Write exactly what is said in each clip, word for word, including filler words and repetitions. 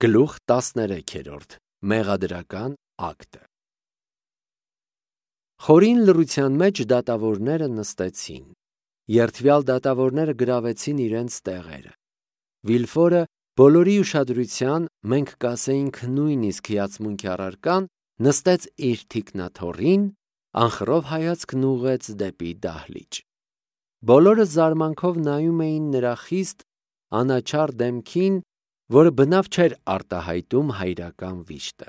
Գլուխ տասներեքերորդ Մեղադրական ակտը Խորին լռության մեջ դատավորները նստեցին։ Երդվյալ դատավորները գրավեցին իրենց տեղերը։ Վիլֆորը բոլորի ուշադրության, մենք կասեինք նույնիսկ հիացմունքի առարկան, նստեց իր թիկնաթոռին, անխռով հայացքն ուղղեց դեպի դահլիճ։ Բոլորը զարմանքով նայում էին նրա խիստ, անաչառ դեմքին, որը բնավ չէր արտահայտում հայրական վիշտը։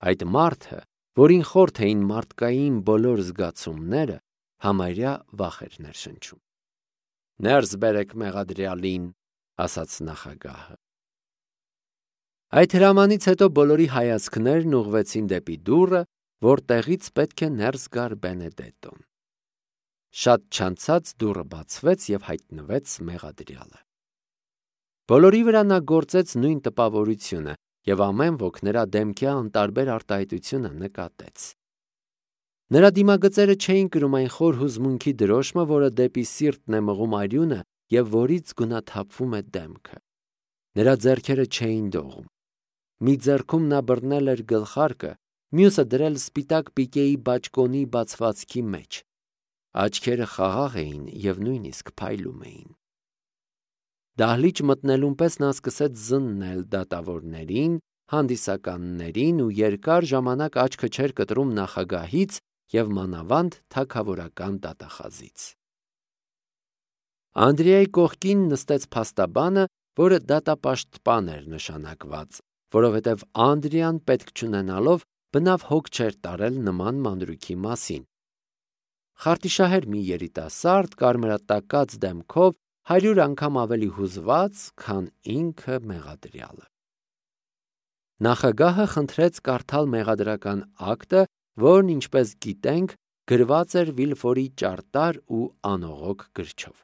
Այդ մարդը, որին խորթ էին մարդկային բոլոր զգացումները, համարյա վախ էր ներշնչում։ «Ներս բերեք մեղադրյալին», ասաց նախագահը։ Այդ հրամանից հետո բոլորի հայացքներն ուղղվեցին դեպի դուռը, որտեղից պետք է ներս գար Բենեդետտոն։ Շատ չանցած դուռը բացվեց և հայտնվեց մեղադրյալը։ Բոլորի վրա նա գործեց նույն տպավորությունը, և ամեն ոք նրա դեմքի անտարբեր արտահայտությունը նկատեց։ Նրա դիմագծերը չէին կրում այն խոր հուզմունքի դրոշմը, որը դեպի սիրտն է մղում արյունը և որից գունաթափվում է դեմքը։ Նրա ձեռքերը չէին դողում։ Մի ձեռքում նա բռնել էր գլխարկը, մյուսը դրել սպիտակ պիկեի բաճկոնի բացվածքի մեջ։ Աչքերը խաղաղ էին և նույնիսկ փայլում էին։ Դահլիճ մտնելուն պես նա սկսեց զննել դատավորներին, հանդիսականներին ու երկար ժամանակ աչքը չէր կտրում նախագահից և մանավանդ թագավորական դատախազից։ Անդրեայի կողքին նստեց փաստաբանը, որը դատապաշտպան էր նշանակված, որովհետև Անդրեան պետք չունենալով բնավ հոգ չէր տարել նման մանրուքի մասին։ Խարտիշահեր մի երիտասարդ, կարմրատակած դեմքով, հարյուր անգամ ավելի հուզված, քան ինքը մեղադրյալը։ Նախագահը խնդրեց կարդալ մեղադրական ակտը, որն, ինչպես գիտենք, գրված էր Վիլֆորի ճարտար ու անողոք գրչով։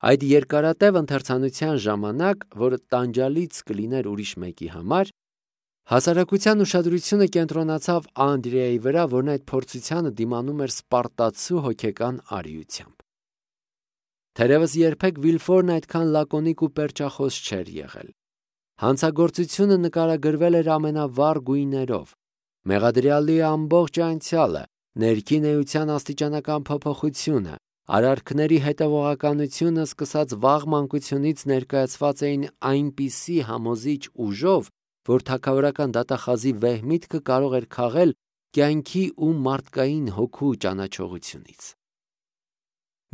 Այդ երկարատև ընթերցանության ժամանակ, որը տանջալից կլիներ ուրիշ մեկի համար, հասարակության ուշադրությունը կենտրոնացավ Անդրեայի վրա, որն այդ փորձությանը դիմանում էր սպարտացու հոգեկան արիությամբ։ Թերևս երբեք Վիլֆորն այդքան լակոնիկ ու պերճախոս չէր եղել։ Հանցագործությունը նկարագրվել էր ամենավառ գույներով։ Մեղադրյալի ամբողջ անցյալը, ներքին էության աստիճանական փոփոխությունը, արարքների հետևողականությունը սկսած վաղ մանկությունից ներկայացված էին այնպիսի համոզիչ ուժով, որ թագավորական դատախազի վեհ միտքը կարող էր քաղել կյանքի ու մարդկային հոգու ճանաչողությունից։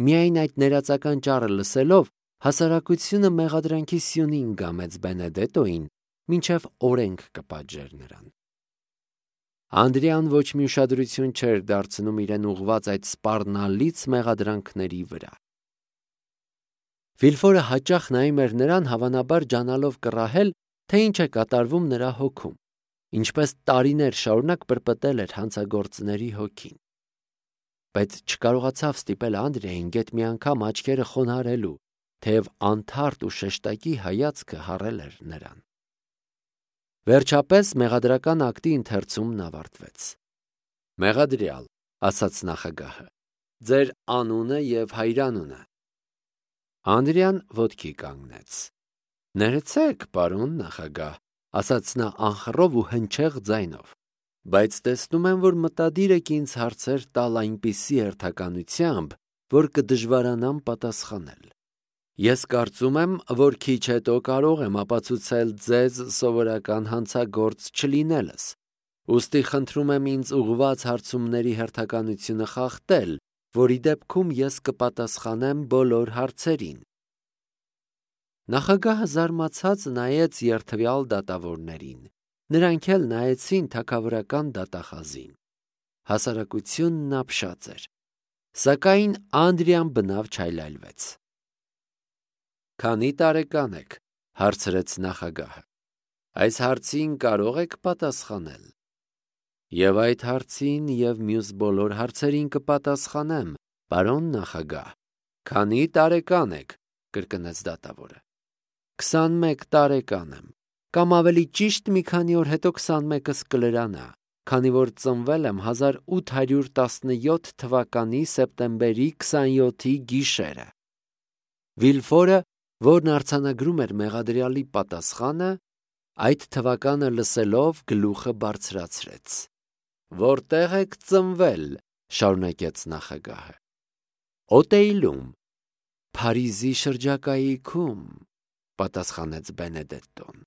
Միայն այդ ներածական ճառը լսելով, հասարակությունը մեղադրանքի սյունին գամեց Բենեդետտոին, մինչև օրենք կպատժեր նրան։ Անդրեան ոչ մի ուշադրություն չէր դարձնում իրեն ուղղված այդ սպառնալից մեղադրանքների վրա։ Վիլֆորը հաճախ նայում էր նրան, հավանաբար ջանալով կռահել, թե ինչ է կատարվում նրա հոգում, ինչպես տարիներ շարունակ պրպտել էր հանցագործների հոգին։ Բայց չկարողացավ ստիպել Անդրեային գեթ մի անգամ աչքերը խոնարհելու, թեև անթարթ ու շեշտակի հայացքը հառել էր նրան։ Վերջապես մեղադրական ակտի ընթերցումն ավարտվեց։ «Մեղադրյալ», ասաց նախագահը, «ձեր անունը և հայրանունը»։ Անդրեան ոտքի կանգնեց։ «Ներեցեք, պարոն նախագահ», ասաց նա անխռով ու հնչեղ ձայնով, «բայց տեսնում եմ, որ մտադիր եք ինձ հարցեր տալ այնպիսի հերթականությամբ, որ կդժվարանամ պատասխանել։ Ես կարծում եմ, որ քիչ հետո կարող եմ ապացուցել ձեզ սովորական հանցագործ չլինելս, ուստի խնդրում եմ ինձ ուղղված հարցումների հերթականությունը խախտել, որի դեպքում ես կպատասխանեմ բոլոր հարցերին»։ Նախագահը զարմացած նայեց երդվյալ դատավորներին, նրանք էլ նայեցին թագավորական դատախազին։ Հասարակությունն ապշած էր, սակայն Անդրեան բնավ չայլայլվեց։ «Քանի տարեկան եք», հարցրեց նախագահը, «այս հարցին կարող եք պատասխանել»։ «Եվ այդ հարցին և մյուս բոլոր հարցերին կպատասխանեմ, պարոն նախագահ»։ «Քանի տարեկան եք», կրկնեց դատավորը։ «Քսանմեկ տարեկան եմ, կամ ավելի ճիշտ մի քանի օր հետո քսանմեկս կլրանա, քանի որ ծնվել եմ հազար ութ հարյուր տասնյոթ թվականի սեպտեմբերի քսանյոթի գիշերը»։ Վիլֆորը որն արձանագրում էր մեղադրյալի պատասխանը, այդ թվականը լսելով գլուխը բարձրացրեց։ «Որտեղ եք ծնվել», շարունակեց նախագահը։ «Օտեյլում, Փարիզի շրջակայքում», պատասխանեց Բենեդետտոն։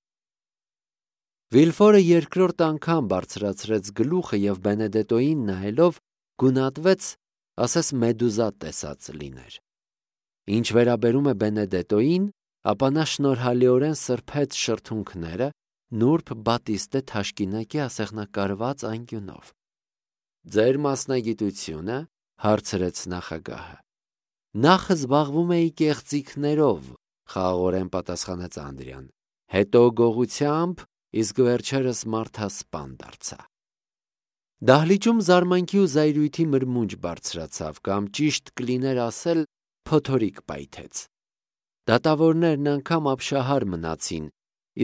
Վիլֆորը երկրորդ անգամ բարձրացրեց գլուխը և Բենեդետոյին նայելով գունատվեց, ասես մեդուզա տեսած լիներ։ Ինչ վերաբերում է Բենեդետոյին, ապա նա շնորհալիորեն սրբեց շրթունքները նուրբ բատիստե թաշկինակի ասեղնակարված անկյունով։ «Ձեր մասնագիտությունը», հարցրեց նախագահը։ «Նախ զբաղվում էի կեղծիքներով», խաղաղորեն պատասխանեց Անդրեան, «հետո գողությամբ, իսկ վերջերս մարդասպան դարձա»։ Դահլիճում զարմանքի ու զայրույթի մրմունջ բարձրացավ, կամ ճիշտ կլիներ ասել, փոթորիկ պայթեց։ Դատավորներն անգամ ապշահար մնացին,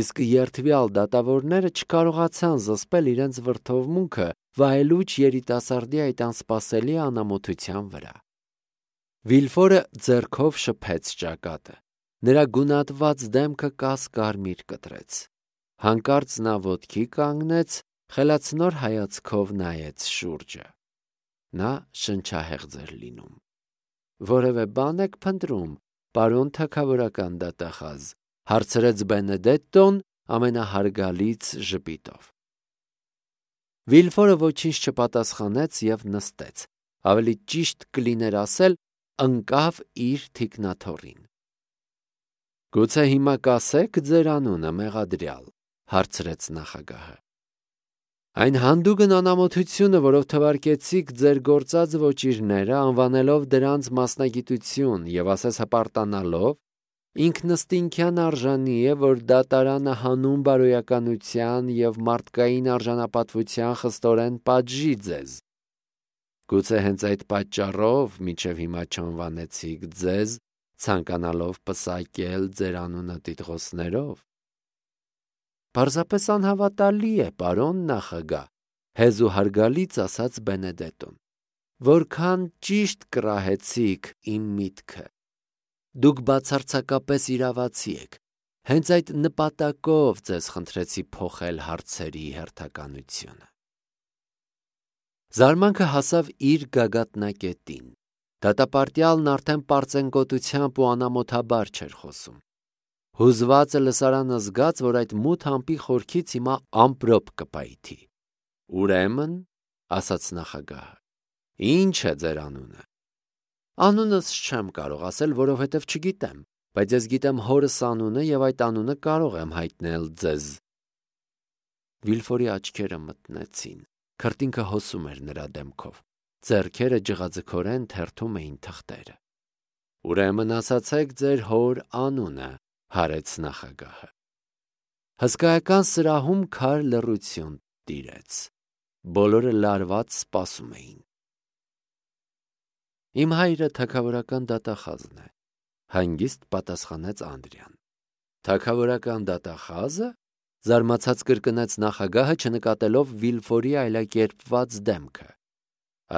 իսկ երդվյալ դատավորները չկարողացան զսպել իրենց վրդովմունքը վայելուչ երիտասարդի այդ անսպասելի անամոթության վրա։ Վիլֆորը ձեռքով շփեց ճակատը։ Նրա գունատված դեմքը կաս-կարմիր կտրեց։ Հանկարծ նա ոտքի կանգնեց, խելացնոր հայացքով նայեց շուրջը։ Նա շնչահեղձ էր լինում։ «Որևէ բան եք փնտրում, պարոն թագավորական դատախազ», հարցրեց Բենեդետտոն ամենահարգալից ժպիտով։ Վիլֆորը ոչինչ չպատասխանեց և նստեց, ավելի ճիշտ կլիներ ասել, ընկավ իր թիկնաթոռին։ «Գուցե հիմա կասեք ձեր անունը, մեղադրյալ», հարցրեց նախագահը։ «Այն հանդուգն անամոթությունը, որով թվարկեցիք ձեր գործած ոճիրները, անվանելով դրանց մասնագիտություն և ասես հպարտանալով, ինքնըստինքյան արժանի է, որ դատարանը հանուն բարոյականության և մարդկային արժանապատվության խստորեն պատժի ձեզ։ Գուցե հենց այդ պատճառով մինչև հիմա չանվանեցիք ձեզ, ցանկանալով պսակել ձեր անունը տիտղոսներով»։ «Պարզապես անհավատալի է, պարոն նախագահ», հեզ ու հարգալից ասաց Բենեդետտոն։ «Որքան ճիշտ կռահեցիք իմ միտքը։ Դուք բացարձակապես իրավացի եք։ Հենց այդ նպատակով ձեզ խնդրեցի փոխել հարցերի հերթականությունը»։ Զարմանքը հասավ իր գագաթնակետին։ Դատապարտյալն արդեն պարծենկոտությամբ ու անամոթաբար չէր խոսում։ Հուզվածը լսարանը զգաց, որ այդ մութ ամպի խորքից հիմա ամպրոպ կպայթի։ «Ուրեմն», ասաց նախագահը, «ի՞նչ է ձեր անունը»։ «Անունս չեմ կարող ասել, որովհետև չգիտեմ, բայց ես գիտեմ հորս անունը և այդ անունը կարող եմ հայտնել ձեզ»։ Վիլֆորի աչքերը մթնեցին, քրտինքը հոսում էր նրա դեմքով, ձեռքերը ջղաձգորեն թերթում էին թղթերը։ «Ուրեմն ասացեք ձեր հոր անունը», հարեց նախագահը։ Հսկայական սրահում քար լռություն տիրեց։ Բոլորը լարված սպասում էին։ «Իմ հայրը թագավորական դատախազն է», հանգիստ պատասխանեց Անդրեան։ «Թագավորական դատախա՞զը», զարմացած կրկնեց նախագահը, չնկատելով Վիլֆորի այլակերպված դեմքը։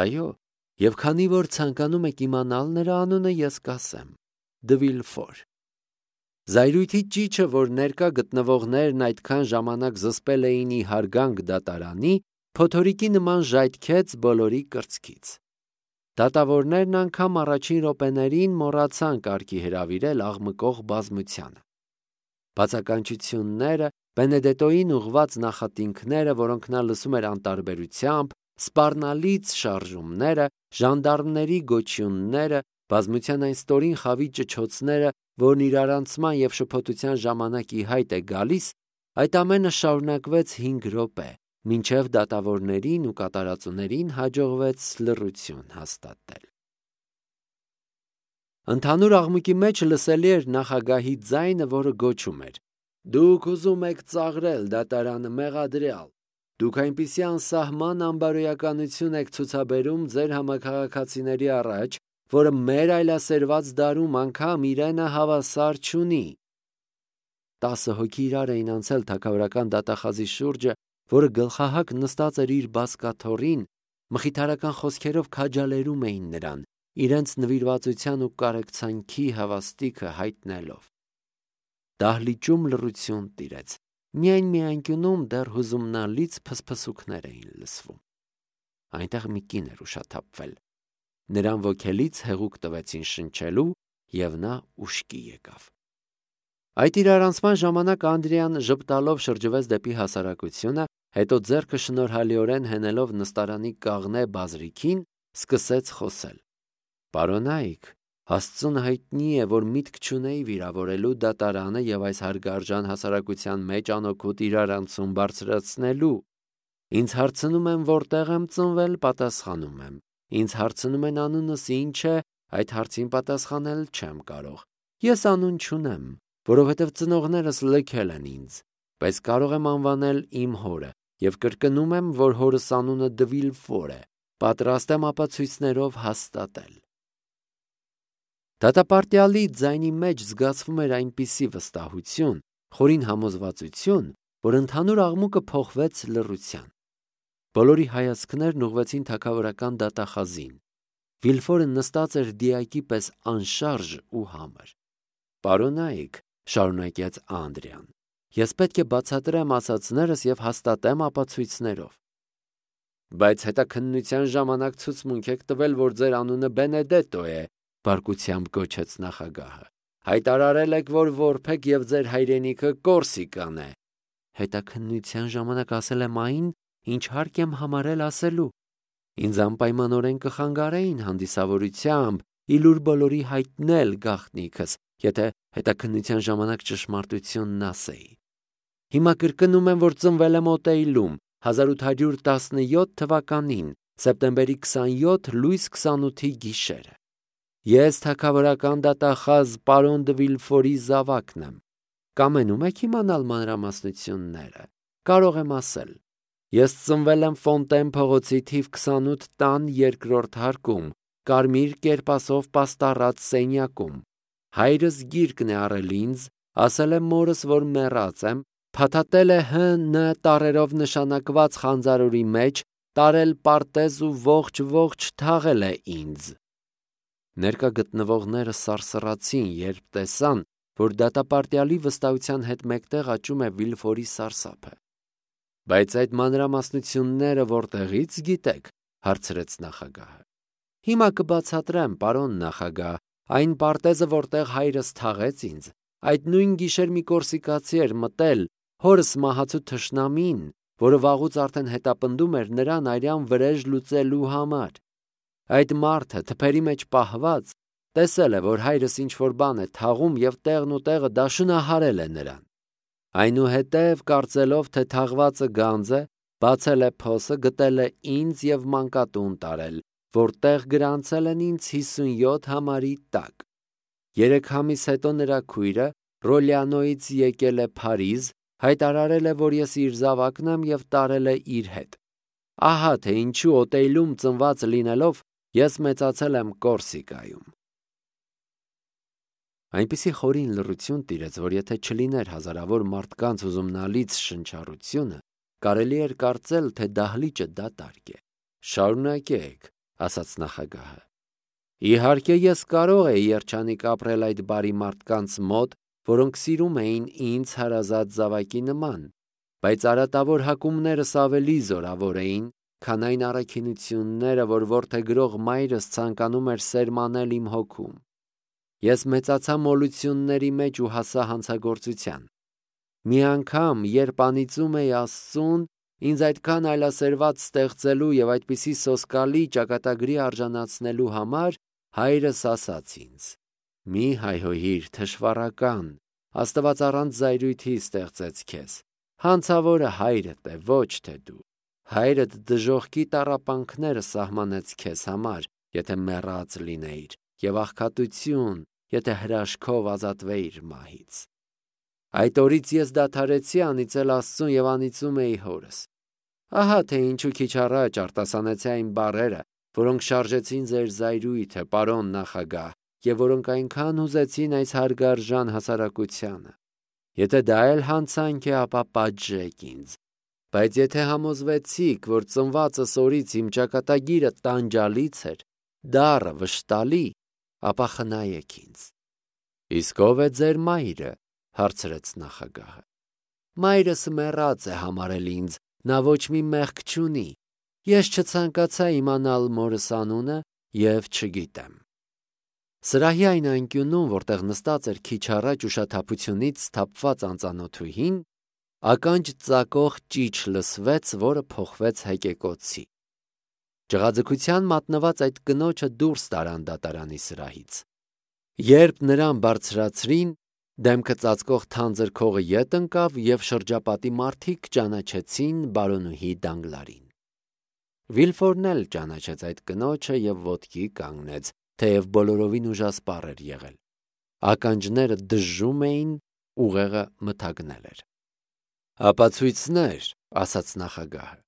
«Այո, և քանի որ ցանկանում եք իմանալ նրա անունը, ես կասեմ. Դը Վիլֆոր»։ Զայրույթի ճիչը, որ ներկա գտնվողներն այդքան ժամանակ զսպել էին ի հարգանք դատարանի, փոթորիկի նման ժայթքեց բոլորի կրծքից։ Դատավորներն անգամ առաջին րոպեներին մոռացան կարգի հրավիրել աղմկող բազմությանը։ Բացականչությունները, Բենեդետոյին ուղղված նախատինքները, որոնք նա լսում էր անտարբերությամբ, սպառնալից շարժումները, ժանդարմների գոչյունները, բազմության այն ստորին խավի ճչոցները, որն իրարանցման և շփոթության ժամանակ ի հայտ է գալիս, այդ ամենը շարունակվեց հինգ րոպե, մինչև դատավորներին ու կատարածուներին հաջողվեց լռություն հաստատել։ Ընդհանուր աղմուկի մեջ լսելի էր նախագահի ձայնը, որը գոչում էր. «Դուք ուզում եք ծաղրել դատարանը, մեղադրյալ։ Դուք այնպիսի անսահման անբարոյականություն եք ցուցաբերում ձեր համաքաղաքացիների առաջ, որը մեր այլասերված դարում անգամ իրենը հավասար չունի»։ Տասը հոգի իրար էին անցել թագավորական դատախազի շուրջը, որը գլխահակ նստած էր իր բազկաթոռին, մխիթարական խոսքերով քաջալերում էին նրան, իրենց նվիրվածության ու կարեկցանքի հավաստիքը հայտնելով։ դահլիճում լռություն տիրեց, միայն մի անկյունում դեռ հուզումնալից փսփսուկներ էին լսվում։ Այնտեղ մի կին էր ուշաթափվել, նրան ոգելից հեղուկ տվեցին շնչելու, և նա ուշքի եկավ։ Այդ իրարանցման ժամանակ Անդրեան ժպտալով շրջվեց դեպի հասարակությունը, հետո ձեռքը շնորհալիորեն հենելով նստարանի կաղնե բազրիքին, սկսեց խոսել. «Պարոնայք, Աստծուն հայտնի է, որ միտք չունեի վիրավորելու դատարանը և այս հարգարժան հասարակության մեջ անօգուտ իրարանցում բարձրացնելու։ Ինձ հարցնում են որտեղ եմ ծնվել, պատասխանում եմ։ Ինձ հարցնում են անունս ինչ է, այդ հարցին պատասխանել չեմ կարող։ Ես անուն չունեմ, որովհետև ծնողներս լքել են ինձ, բայց կարող եմ անվանել իմ հորը և կրկնում եմ, որ հորս անունը Դվիլֆոր է, պատրաստ եմ ապացույցներով հաստատել»։ Դատապարտյալի ձայնի մեջ զգացվում էր այնպիսի վստահություն, խորին համոզվածություն, որ ընդհանուր աղմուկը փոխվեց լռության։ Բոլորի հայացքներն ուղղվեցին թագավորական դատախազին։ Վիլֆորը նստած էր դիակի պես անշարժ ու համր։ «Պարոնայք», շարունակեց Անդրեան, «ես պետք է բացատրեմ ասածներս և հաստատեմ ապացույցներով»։ «Բայց հետաքննության ժամանակ ցուցմունք եք տվել, որ ձեր անունը Բենեդետո է», բարկությամբ գոչեց նախագահը։ «Հայտարարել եք, որ որբ եք և ձեր հայրենիքը Կորսիկան է»։ «Հետաքննության ժամանակ ասել եմ այն, ինչ հարկ եմ համարել ասելու։ Ինձ անպայմանորեն կխանգարեին հանդիսավորությամբ ի լուր բոլորի հայտնել գաղտնիքս, եթե հետաքննության ժամանակ ճշմարտությունն ասեի։ Հիմա կրկնում եմ, որ ծնվել եմ Օտեյլում հազար ութ հարյուր տասնյոթ թվականին, սեպտեմբերի քսանյոթ լույս քսանութի գիշերը։ Ես թագավորական դատախազ պարոն Դվիլֆորի զավակն եմ։ Կամենում եք իմանալ մանրամասնությունները։ Կարող եմ ասել։ Ես ծնվել եմ Ֆոնտեն փողոցի թիվ քսանութ տան երկրորդ հարկում, կարմիր կերպասով պաստառած սենյակում։ Հայրս գիրկն է առել ինձ, ասել է մորս, որ մեռած եմ, փաթաթել է Հ Ն տառերով նշանակված խանձարորի մեջ, տարել պարտեզ ու ողջ-ողջ թաղել է ինձ։ Ներկա գտնվողները սարսռացին, երբ տեսան, որ դատապարտյալի վստահության հետ մեկտեղ աճում է Վիլֆորի սարսափը։ Բայց այդ մանրամասնությունները որտեղից գիտեք, հարցրեց նախագահը։ Հիմա կբացատրեմ, պարոն նախագահ, այն պարտեզը, որտեղ հայրս թաղեց ինձ, այդ նույն գիշեր մի կորսիկացի էր մտել, հորս մահացու թշնամին, որը վաղուց արդեն հետապնդում էր նրան արյան վրեժ լուծելու համար։ Այդ մարդը թփերի մեջ պահված տեսել է, որ հայրս ինչ-որ բան է թաղում և տեղն ու տեղը դաշնահարել է նրան։ Այնուհետև, կարծելով, թե թաղվածը գանձ է, բացել է փոսը, գտել է ինձ և մանկատուն տարել, որտեղ գրանցել են ինձ հիսունյոթ համարի տակ։ Երեք ամիս հետո նրա քույրը Ռոլյանոյից եկել է Փարիզ, հայտարարել է, որ ես իր զավակն եմ և տարել է իր հետ։ Ահա թե ինչու Օտեյլում ծնված լինելով ես մեծացել եմ Կորսիկայում։ Այնպիսի խորին լռություն տիրեց, որ եթե չլիներ հազարավոր մարդկանց հուզումնալից շնչառությունը, կարելի էր կարծել, թե դահլիճը դատարկ է։ Շարունակեք, ասաց նախագահը։ Իհարկե ես կարող էի երջանիկ ապրել այդ բարի մարդկանց մոտ, որոնք սիրում էին ինձ հարազատ զավակի նման, բայց արատավոր հակումներս ավելի զորավոր էին, քան այն առաքինությունները, որ որդեգրող մայրս ցանկանում էր սերմանել իմ հոգում։ Ես մեծացա մոլությունների մեջ ու հասա հանցագործության։ Մի անգամ, երբ անիծում էի Աստծուն, ինձ այդքան այլասերված ստեղծելու և այդպիսի սոսկալի ճակատագրի արժանացնելու համար, հայրս ասաց ինձ. «Մի հայհոյիր, թշվառական, Աստված առանց զայրույթի ստեղծեց քեզ։ Հանցավորը հայրդ է, ոչ թե դու։ Հայրդ դժոխքի տառապանքները սահմանեց քեզ համար, եթե մեռած լինեիր, և աղքատություն, եթե հրաշքով ազատվեիր մահից։ Այդ օրից ես դադարեցի անիծել Աստծուն և անիծում էի հորս։ Ահա թե ինչու քիչ առաջ արտասանեցի այն բառերը, որոնք շարժեցին ձեր զայրույթը, պարոն նախագահ, և որոնք այնքան հուզեցին այս հարգարժան հասարակությանը։ Եթե դա էլ հանցանք է, ապա պատժեք ինձ։ Բայց եթե համոզվեցիք, որ ծնվածս օրից իմ ճակատագիրը տանջալից էր, դառը վշտալի, ապա խնայեք ինձ։ Իսկ ով է ձեր մայրը, հարցրեց նախագահը։ Մայրս մեռած է համարել ինձ, նա ոչ մի մեղք չունի։ Ես չցանկացա իմանալ մորս անունը և չգիտեմ։ Սրահի այն անկյունում, որտեղ նստած էր քիչ առաջ ուշաթափությունից սթափված անծանոթուհին, ականջ ծակող ճիչ լսվեց, որը փոխվեց հեկեկոցի։ Ջղաձգության մատնված այդ կնոջը դուրս տարան դատարանի սրահից։ Երբ նրան բարձրացրին, դեմքը ծածկող թանձր քողը ետ ընկավ և շրջապատի մարդիկ ճանաչեցին բարոնուհի Դանգլարին։ Վիլֆորն էլ ճանաչեց այդ կնոջը և ոտքի կանգնեց, թեև բոլորովին ուժասպառ էր եղել։ Ականջները դժժում էին, ուղեղը մթագնել էր։ Ապացույցներ, ասաց նախագահը։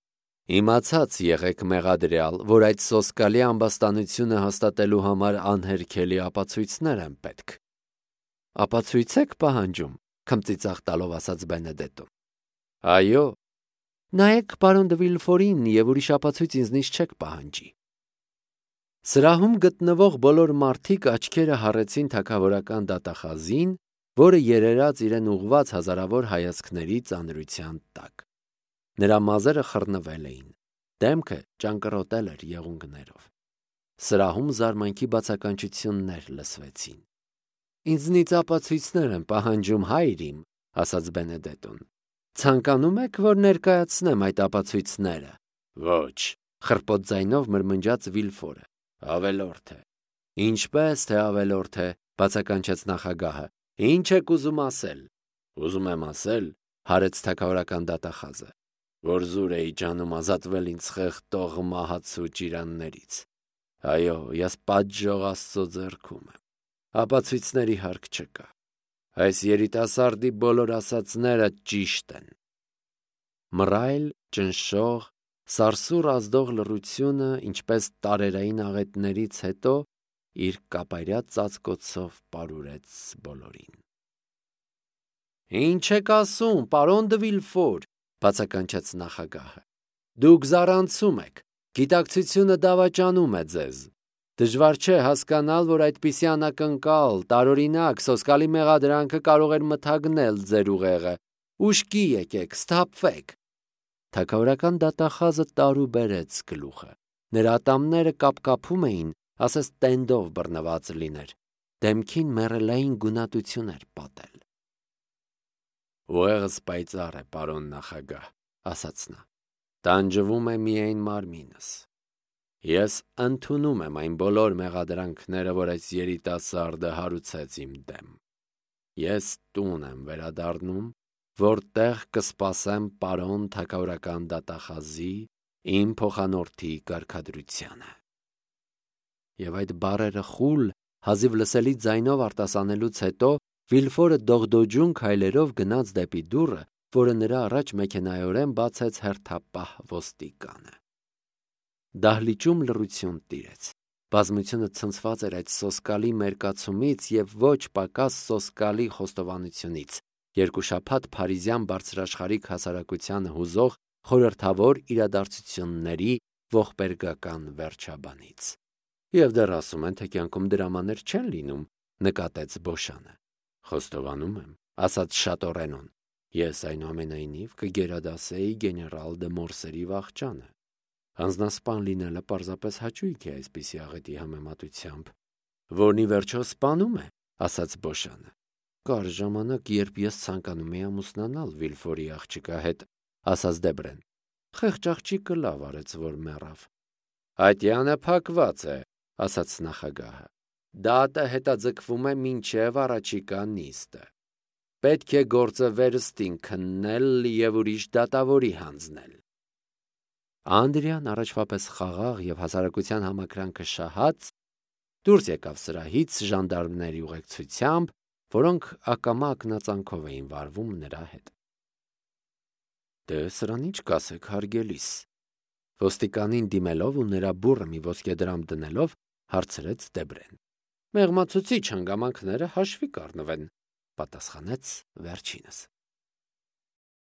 Իմացած եղեք մեղադրյալ, որ այդ սոսկալի ամբաստանությունը հաստատելու համար անհերքելի ապացույցներ են պետք։ Ապացույց եք պահանջում, քմծիծաղ տալով ասաց Բենեդետոն։ Այո։ Նայեք պարոն դը Վիլֆորին և ուրիշ ապացույց ինձնից չեք պահանջի։ Սրահում գտնվող բոլոր մարդիկ աչքերը հառեցին թագավորական դատախազին, որը երերաց իրեն ուղղված հազարավոր հայացքների ծանրության տակ։ Նրա մազերը խռնվել էին, դեմքը ճանկռոտել էր եղունգներով։ Սրահում զարմանքի բացականչություններ լսվեցին։ Ինձնից ապացույցներ են պահանջում, հայր իմ, ասաց Բենեդետոն։ Ցանկանում եք, որ ներկայացնեմ այդ ապացույցները։ Ոչ, խռպոտ ձայնով մրմնջաց Վիլֆորը։ Ավելորդ է։ Ինչպես թե ավելորդ է, բացականչեց նախագահը։ Ինչ եք ուզում ասել։ Ուզում եմ ասել, հարեց թագավորական դատախազը, որ զուր էի ջանում ազատվել ինձ խեղդող մահացու ճիրաններից։ Այո, ես պատժող Աստծո ձեռքում եմ։ Ապացույցների հարկ չկա։ Այս երիտասարդի բոլոր ասածները ճիշտ են։ Մռայլ, ճնշող, սարսուռ ազդող լռությունը, ինչպես տարերային աղետներից հետո, իր կապայրյա ծածկոցով պարուրեց բոլորին։ Ինչ եք ասում, պարոն դը Վիլֆոր, բացականչեց նախագահը։ Դուք զառանցում եք, գիտակցությունը դավաճանում է ձեզ։ Դժվար չէ հասկանալ, որ այդպիսի անակնկալ, տարօրինակ, սոսկալի մեղադրանքը կարող էր մթագնել ձեր ուղեղը։ Ուշքի եկեք, սթափվեք։ Թագավորական դատախազը տարուբերեց գլուխը։ Նրա ատամները կապկապում էին, ասես տենդով բռնված լիներ։ Դեմքին մեռելային գունատություն էր պատել։ Ուղեղս պայծառ է, պարոն նախագահ, ասաց նա։ Տանջվում է միայն մարմինս։ Ես ընդունում եմ այն բոլոր մեղադրանքները, որ այս երիտասարդը հարուցեց իմ դեմ։ Ես տուն եմ վերադառնում, որտեղ կսպասեմ պարոն թագավորական դատախազի իմ փոխանորդի կարգադրությանը։ Եվ այդ բառերը խուլ, հազիվ լսելի ձայնով արտասանելուց հետո Վիլֆորը դողդոջուն քայլերով գնաց դեպի դուռը, որը նրա առաջ մեքենայորեն բացեց հերթապահ ոստիկանը։ Դահլիճում լռություն տիրեց։ Բազմությունը ցնցված էր այդ սոսկալի մերկացումից և ոչ պակաս սոսկալի խոստովանությունից, երկու շաբաթ փարիզյան բարձրաշխարհիկ հասարակությանը հուզող խորհրդավոր իրադարձությունների ողբերգական վերջաբանից։ Եվ դեռ ասում են, թե կյանքում դրամաներ չեն լինում, նկատեց Բոշանը։ Խոստովանում եմ, ասաց Շատորենոն, ես այնուամենայնիվ կգերադասեի գեներալ դը Մորսերի վախճանը։ Անձնասպան լինելը պարզապես հաճույք է այսպիսի աղետի համեմատությամբ, որն ի վերջո սպանում է, ասաց Բոշանը։ Կար ժամանակ, երբ ես ցանկանում էի ամուսնանալ Վիլֆորի աղջկա հետ, ասաց Դեբրեն։ Խեղճ աղջիկը լավ արեց, որ մեռավ։ Ատյանը փակված է, ասաց նախագահը։ Դատը հետաձգվում է մինչև առաջիկա նիստը։ Պետք է գործը վերստին քննել և ուրիշ դատավորի հանձնել։ Անդրիան առաջվա պես խաղաղ և հասարակության համակրանքը շահած դուրս եկավ սրահից ժանդարմների ուղեկցությամբ, որոնք ակամա ակնածանքով էին վարվում նրա հետ։ Դե սրան ինչ կասեք, հարգելիս, ոստիկանին դիմելով ու նրա բուռը մի ոսկեդրամ դնելով, հարցրեց Դեբրեն։ Մեղմացուցիչ հանգամանքները հաշվի կառնվեն, պատասխանեց վերջինս։